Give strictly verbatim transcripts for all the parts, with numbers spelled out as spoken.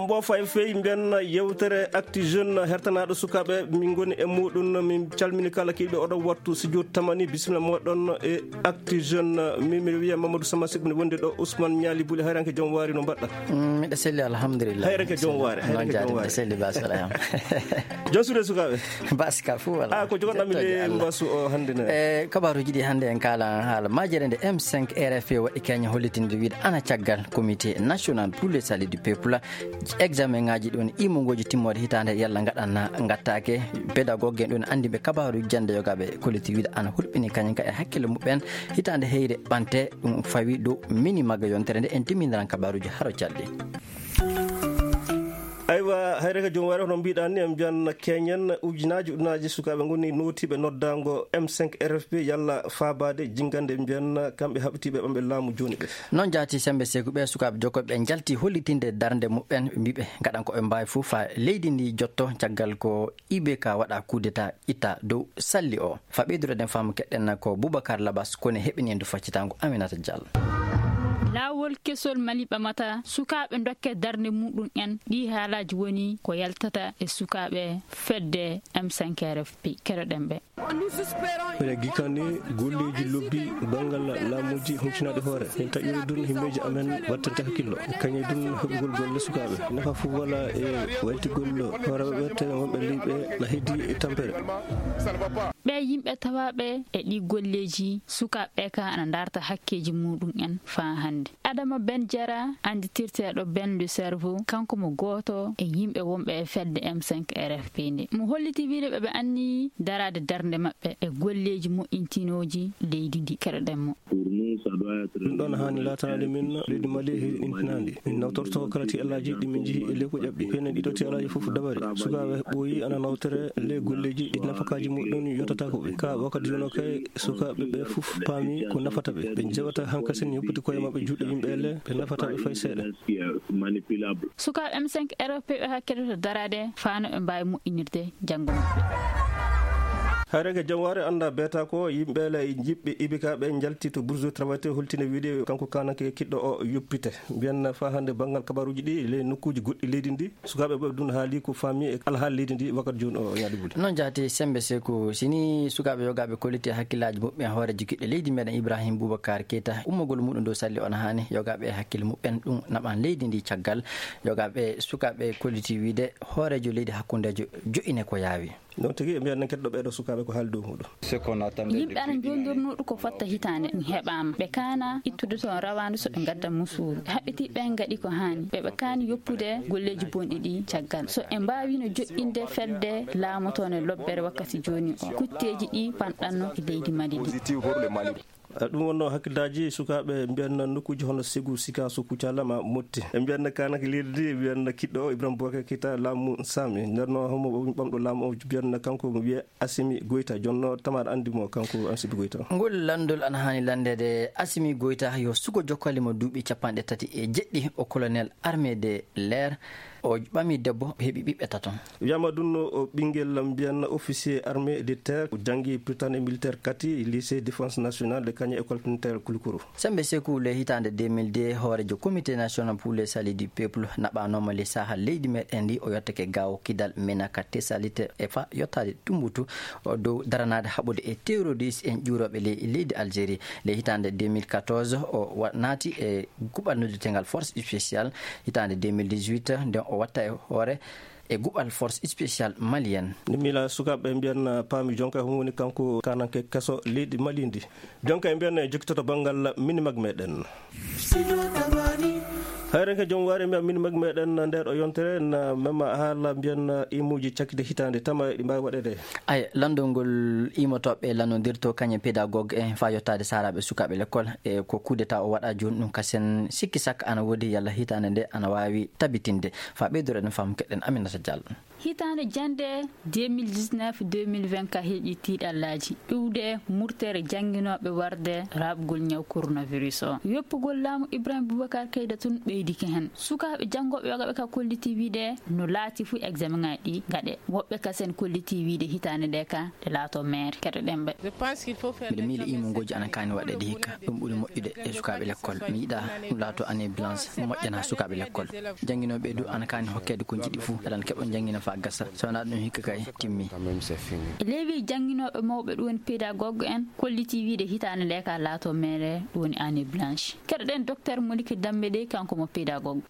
Ɓoofa e fey mbiyen yewtere Actu Jeune hertanaaɗo sukaaɓe, min ngoni e muuɗum. Min calmini kala kiiɗo oɗo wattu studio tamani, bisimilla mooɗon e Actu Jeune. Min mi wiya Mamadou Sama Seck, mi wondi ɗo Ousmane Ñaali Buli. Hayranke joom waari, no mbaɗɗa? Mm, miɗa selli, alhamdulillah. Hayranke joom waari, hayranke joom waari. Miɗa selli, Ba Souleyman. Joom suuɗe sukaaɓe? Basi ka fof, wala. Ah, ko jogoɗɗami ley mbasu o hannde ne. E kabaaruuji ɗi hannde en kaala haala majjere nde M cinq R F P waɗi keñe hollitinde wiide ana caggal Comité National pour le Salut du Peuple. Examen ŋaaji ɗon imongooji timmoode hitaande yalla ngaɗan ngattaake. Pédagogue en ɗon anndi ɓe kabaaruuji jannde yogaaɓe kolliti wiide ana hulɓini kañum ka e hakkille muɓɓen hitaande heyre ɓante ɗum fawi dow mini magga yontere nde en timmindiran kabaaruuji haro calɗi. Aywa, hayre ka joom waari hono mbiɗan ni, en mbiyan keñen ujunaaji, ujunaaji sukaaɓe ngoni nootiiɓe noddaango M cinq R F P yalla faabaade jinngande mbiyan kamɓe haɓitiiɓe ɓamɓe laamu jooni ɓe. Noon jaati Sembe Seeku ɓe sukaaɓe jokkoɓe ɓe njalti hollitinde darnde muɓɓen, ɓe mbiɓe ngaɗan ko ɓe mbaawi fof fa leydi ndi jotto caggal ko I B K waɗa coup d'état itta dow salli o. Fa ɓeydude ɗen faamu keɗɗen ko Boubacar Labas kone heɓini en du faccitaango Aminata Diallo. Laawol kesol Mali ɓamata sukaaɓe dokke darnde muɗum en. Ɗi haalaaji woni ko yaltata e sukaaɓe fedde M cinq R F P. Keɗoɗen ɓe. Mbeɗa gikani golleeji lobbi banngal laamuuji huncinaɗi hoore. Min taƴiri dun himmeeji amen wattante hakkillo. Kañe dun heɓugol golle sukaaɓe. Nafa fof wala e waytigol hooreeɓe ɓe tawi wonɓe leyɓe na heddi e tampere. Ɓe yimɓe tawaaɓe e ɗi golleeji sukaaɓe ka ana ndarta hakkeeji muɗum en faa hannde. Adama Ben Jara, annditirteeɗo Ben le Cerveau, kanko mo gooto e yimɓe wonɓe e fedde M cinq R F P nde. Mo holliti wiide ɓe ɓe anni daraade darnde maɓɓe e golleeji moƴƴintinooji leydi ndi. Keɗoɗen mo. Ɗum ɗoon haani laataade min leydi Mali e heɗintinandi. Min nawtorto kala tiyallaji ɗi min njihi e lewko ƴaɓɓi. Penen ɗiɗo tiyallaji fof dabari. Sukaaɓe ɓooyi ana nawtore le golleeji ɗi nafakaaji muɗum yotataako ɓe. Ka wakkati jono kay sukaaɓe ɓe fof paami ko nafata ɓe. Ɓe jewata hankasen yoppiti koye maɓɓe juuɗe yimɓe le ɓe nafata ɓe fay seeɗa. Sukaaɓe M cinq R F P ɓe hakkilata daraade faa no ɓe mbaawi moƴƴinirde janngo maɓɓe. Hayre ka jam waare annda beeta ko yimɓe le jiɓɓe I B K ɓe njalti to Bourse du Travail te holtine wiide kanko kanake kiɗɗo o yoppite. Mbiyan faa hannde banngal kabaruuji ɗi ley nokkuuji goɗɗi leydi ndi. Sukaaɓe ɓe ɗum haali ko faami e alhaali leydi ndi wakkati jooni o Ñaali Buli. Noon jaati Sembe Seeku, sini sukaaɓe yogaaɓe kolliti hakkillaaji muɓɓen hooreejo kiɗɗo leydi meɗen Ibrahim Boubacar Keita, ummagol muɗum dow salli on haani yogaaɓe hakkille muɓɓen ɗum naɓan leydi ndi caggal. Yogaaɓe sukaaɓe kolliti wiide hooreejo leydi hakkundeejo jo'ine ko yaawi. Noon tigi, e mbiyan nen keɗɗo ɓeeɗo sukaaɓe ko haali dow muɗum. Yimɓe ana njolndornoo ɗum ko fotta hitaande, ɗum heɓaama. Ɓe kaana ittude toon rawaandu so ɓe ngadda musuuru. Ɓe haɓɓiti ɓe ngaɗi ko haani. Ɓe ɓe kaani yoppude golleeji bonɗi ɗi caggal. So ɓe mbaawino joɗɗinde fedde laamotoonde lobbere wakkati jooni o, kutteeji ɗi panɗanno e leydi Mali ndi. Eh, ɗum wonno hakkillaaji sukaaɓe mbiyan nokkuuji hono Segu, Sikaso, Kucala ma Motti. E mbiyan kanake leydi ndi, mbiyan kiɗɗo o Ibrahim Boubacar Keita laamu Sami. Nder no homo ɓamɗo laamu o mbiyan kanko mo wiye Assimi Goïta, jonno tamar anndi mo kanko Assimi Goïta. Ngol lanndol ana haani lanndeede Assimi Goïta yo suko jokkali mo duuɓi capanɗe tati e jeɗɗi, o colonel armée de l'air, o ɓami debbo, heɓi ɓiɓɓe tato. Wiyama ɗum no o ɓinngel mbiyan officier armée de terre, o janngi Prytanée militaire kati lycée défense nationale de Kagné école militaire Koulikoro. Sembe Seku le hitaande deux mille deux, hooreejo Comité National pour le Salut du Peuple naɓanooma le saha leydi meɗen ndi, o yottake gawo kidal Menaka Tesalite e fa yottaade Tumbutu, o dow daranaade haɓude e terroriste en ƴuurooɓe le leydi Algérie. Le hitaande deux mille quatorze, o wa-, naati e guɓal noddirtengal Force Spéciale. Hitaande deux mille dix-huit, nden o watta e hoore e guɓal Force Spéciale Malienne. Nde miila sukaaɓe mbiyan paami jonka homo woni kanko kananke keso leydi Mali ndi. Jonka e mbiyan e jokkitoto banngal minimag meɗen. Hayre ka jom waare mbiyan minimag meɗen nder o yontere na mema haala mbiyan imuji cakkite hitaande tama ɗi mbaawi waɗede. Ay, lanndol ngol imotooɓe lannondirto kañe pédagogue en fa yottaade saaraaɓe sukaaɓe l'école e ko coup d'état o waɗa jooni ɗum kasen sikki sakka ana woodi yalla hitaande nde ana waawi tabitinde. Fa ɓeydude ɗen faamu keɗɗen Aminata Diallo. Hitaande jannde deux mille dix-neuf deux mille vingt ka heeƴi tiiɗallaaji iwde murtere jannginooɓe warde raɓgol ñaw coronavirus o. Yoppugol laamu Ibrahim Boubacar Keita tun ɓe Idike heen sukaaɓe janngooɓe yoga ɓe ka kolliti wiide no laati fuu examen ŋaaji ɗi ngaɗe. Woɓɓe kasen kolliti wiide hitaande nde ka ɗe laato meere keɗoɗen ɓe. Miɗo miili imongooji ana kaani waɗeede hikka. Ɗum ɓuri moƴƴude e sukaaɓe lekkol. Mi yiɗa ɗum laato année blanche moƴƴana sukaaɓe lekkol. Jannginooɓe du ana kaani hokkeede ko njiɗi fuu. Aɗan keɓa janngina faa gasa. So wanaa ɗum hikka kay timmi. E leewi jannginooɓe mawɓe ɗum woni pédagogue en kolliti wiide hitaande nde ka laato meere ɗum woni année blanche. Keɗoɗen docteur Moliki Dambe de kanko mo pédagogue.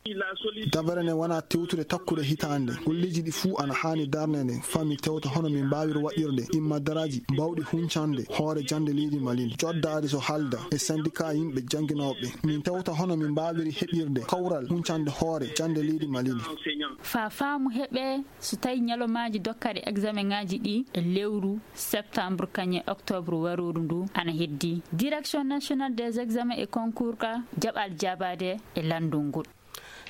Dabare ne wona tewtude takkude hitaande. Golleeji ɗi fuu ana haani darneede. Faa min tewta hono min mbaawiri waɗirde imma daraaji baawɗi huncande hoore jannde leydi Mali ndi. Coddaade so haalda e syndicat yimɓe jannginooɓe. Min tewta hono min mbaawiri heɓirde kawral huncande hoore jannde leydi Mali ndi. Faa faamu heɓee so tawi ñalawmaaji dokkaaɗi examen ŋaaji ɗi e lewru septembre kañum e octobre warooru ndu ana heddi. Direction nationale des examens et concours ka jaɓal jaabaade e lanndol ngol.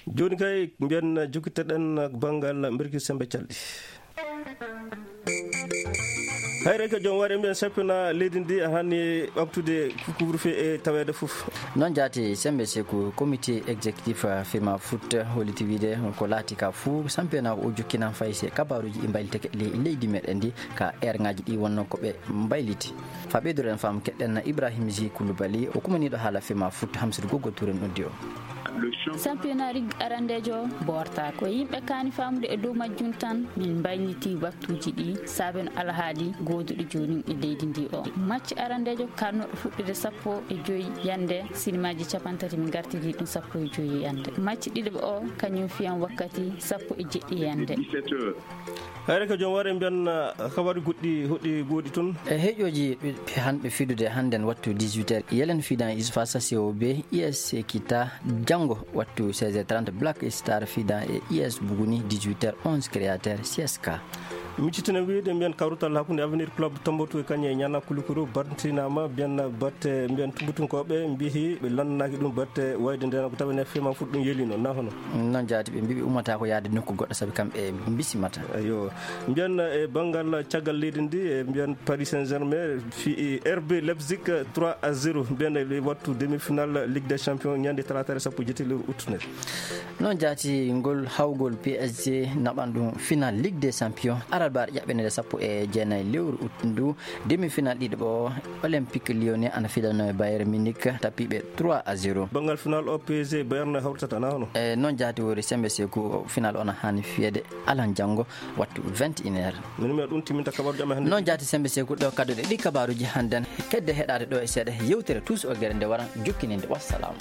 Jooni kay mbiyen jokkittoɗen banngal mbirki sembe calɗi. Hayre ko joom ware mbiyen sappina leydi ndi hani ɓamtude couvre-feu e taweede fof. Noon jaati sembe seku comité exécutif, eh, fema foot holliti wiide ko laati ka fuu sampena o jokkina fayse kabaruuji ɗi mbayliteke le-, leydi meɗen ndi ka erŋaaji ɗi wonno ko ɓe mbayliti. Fa ɓeyduren fam keɗen Ibrahim Zi Koulibaly, o kumaniiɗo haala fema foot Hamsidou Gogo Touré noddi o. Championnat Ligue arandejo boorta ko yimɓe kaani faamude e dow majjum tan. Min mbayliti waktuuji ɗi saaben alhaali gooduɗo jooni e leydi ndi o. Match arandejo karnoɗo fuɗɗude sappo e joyi yande, sinimaaji capantati min gartiri ɗum sappo e joyi yande. Match ɗiɗaɓo o kañum fiyan wakkati sappo e jeɗɗi yande. Hayre ko joom ware mbiyan, ah, kabaaruuji goɗɗi hoɗi gooɗi toon. E heƴooji ɓe, ɓe han ɓe fidude hannden wattu dix-huit heures. Yelen fidan is face à C O B, I S Kita janngo wattu seize heures trente, Black Star fidan e I S Buguni dix-huit heures onze, Créateur C S K. Miccitino wiide mbiyan kawrutal hakkunde Avenir Club Tombouctou e kañum e Niana Koulikou battinama mbiyan batte mbiyan Tombouctoukooɓe mbiyi ɓe lanndanaaki ɗum batte wayde nden ko tawa ne fema foot ɗum yelino na hono. Noon jaati ɓe mbiɓe ummata ko yaade nokku goɗɗo sabi kamɓe mbisimata. Ayo. Mbiyan e banngal caggal leydi ndi, e mbiyan Paris Saint-Germain fi R B Leipzig trois à zéro. Mbiyan e wattu demi-finale Ligue des Champions ñande talaata sappo e jeetati lewru août nde. Noon jaati ngol hawgol P S G naɓan ɗum final Ligue des Champions alarba ƴaɓɓende sappo e jeenayi lewru août ndu. Demi-finale ɗiɗaɓo o, Olympique Lyonnais ana fidano e Bayern Munich, tappiɓe trois à zéro. Banngal final o P S G Bayern hawritata na hono? E noon jaati wori sembe seku final o na haani fiyede alan janngo wattu vingt et une heures. Min mi ɗum timinta kabaaruuji amen hannde. Noon jaati sembe seku ɗo kadduɗe ɗi kabaaruuji hannden. Kedde heɗaade ɗo e seeɗa yewtere Tous au Guerre nde wara jokkininde. Wassalaamu.